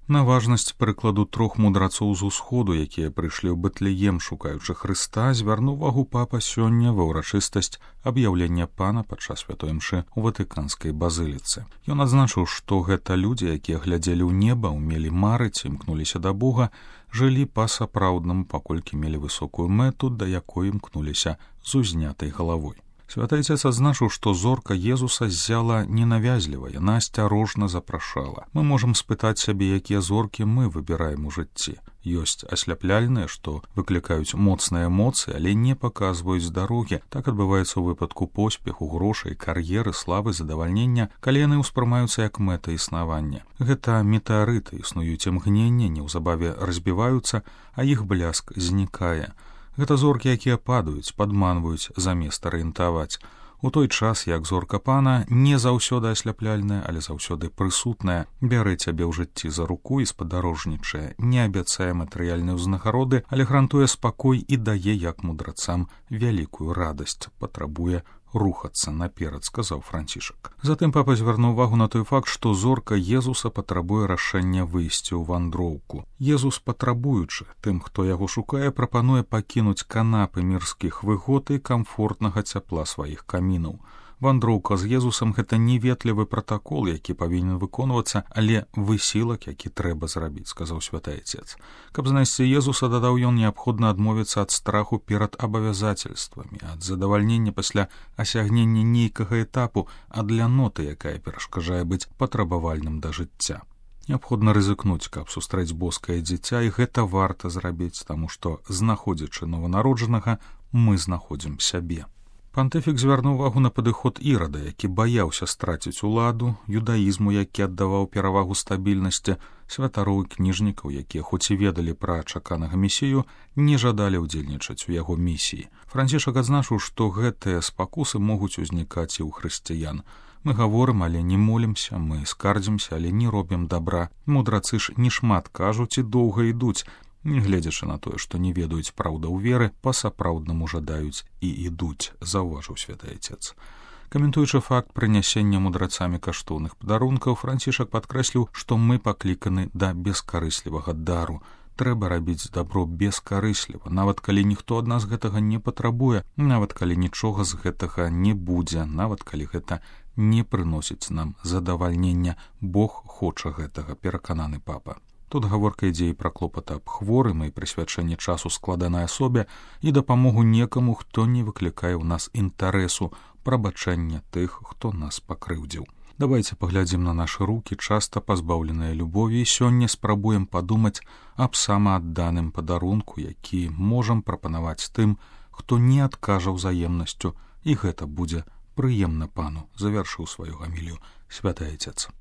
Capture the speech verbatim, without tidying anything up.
На важнасць прыкладу трох мудрацоў з усходу, якія прыйшлі ў Бэтлеем, шукаючы Хрыста, звярнуў увагу папа сёння ва ўрачыстасць аб'яўлення пана падчас святой імшы ў ватыканскай базыліцы. Ён адзначыў, што гэта людзі, якія глядзелі ў неба, умелі марыць, імкнуліся да Бога, жылі па-сапраўднаму, паколькі мелі высокую мэту, да якой імкнуліся з узнятай галавой. Святы Отец адзначыў, што зорка Езуса ззяла ненавязліва, яна асцярожна запрашала. Мы можам спытаць сябе, якія зоркі мы выбіраем у жыцці. Ёсць асляпляльныя, што выклікаюць моцныя эмоцыі, але не паказваюць дарогі. Так адбываецца ў выпадку поспеху, грошай, кар'еры, славы, задавальнення, калі яны ўспрымаюцца як мэта існавання. Гэта метэарыты, існуюць імгненне, неўзабаве разбіваюцца, а іх бляск знікае. Гэта зоркі, якія падаюць, падманваюць замест арыентаваць. У той час, як зорка пана не заўсёды асляпляльная, але заўсёды прысутная, бярэ цябе ў жыцці за руку і спадарожнічае, не абяцае матэрыяльнай узнагароды, але гарантуе спакой і дае, як мудрацам, вялікую радасць, патрабуе рухацца наперад, сказаў Францішак. Затым папа звярнуў увагу на той факт, што зорка Езуса патрабуе рашэння выйсці ў вандроўку. Езус, патрабуючы тым, хто яго шукае, прапануе пакінуць канапы мірскіх выгод і камфортнага цяпла сваіх камінаў. Вандроўка з Езусам — гэта не ветлівы пратакол, які павінен выконвацца, але высілак, які трэба зрабіць, сказаў Святы Отец. Каб знайсці Езуса, дадаў ён, неабходна адмовіцца ад страху перад абавязательствамі, ад задавальнення пасля асягнення нейкага этапу, ад ляноты, якая перашкаджае быць патрабавальным да жыцця. Неабходна рызыкнуць, каб сустрэць боскае дзіця, і гэта варта зрабіць, таму што, знаходзячы нованароджанага, мы знаходзім сябе. Пантыфік звярнуў увагу на падыход Ірада, які баяўся страціць уладу, юдаізму, які аддаваў перавагу стабільнасці, святароў і кніжнікаў, якія хоць і ведалі пра чаканага месію, не жадалі ўдзельнічаць у яго місіі. Францішак адзначыў, што гэтыя спакусы могуць узнікаць і ў хрысціян. Мы гаворым, але не молімся, мы скардзімся, але не робім дабра. Мудрацы ж не шмат кажуць і доўга ідуць, нягледзячы на тое, што не ведаюць праўдаў веры, па-сапраўднаму жадаюць і ідуць, заўважыў Святы Отец. Каментуючы факт прынясення мудрацамі каштоўных падарункаў, Францішак падкрэсліў, што мы пакліканы да бескарыслівага дару. Трэба рабіць дабро бескарысліва, нават калі ніхто ад нас гэтага не патрабуе, нават калі нічога з гэтага не будзе, нават калі гэта не прыносіць нам задавальнення. Бог хоча гэтага, перакананы папа. Тут гаворка ідзе і пра клопат аб хворым і прысвячэнне часу складанай асобе і дапамогу некаму, хто не выклікае ў нас інтарэсу, прабачэння тых, хто нас пакрыўдзіў. Давайце паглядзім на нашы рукі, часта пазбаўленыя любові, і сёння спрабуем падумаць аб самаадданым падарунку, які можам прапанаваць тым, хто не адкажа ўзаемнасцю, і гэта будзе прыемна пану, завяршыў сваю гамілію Святы Отец.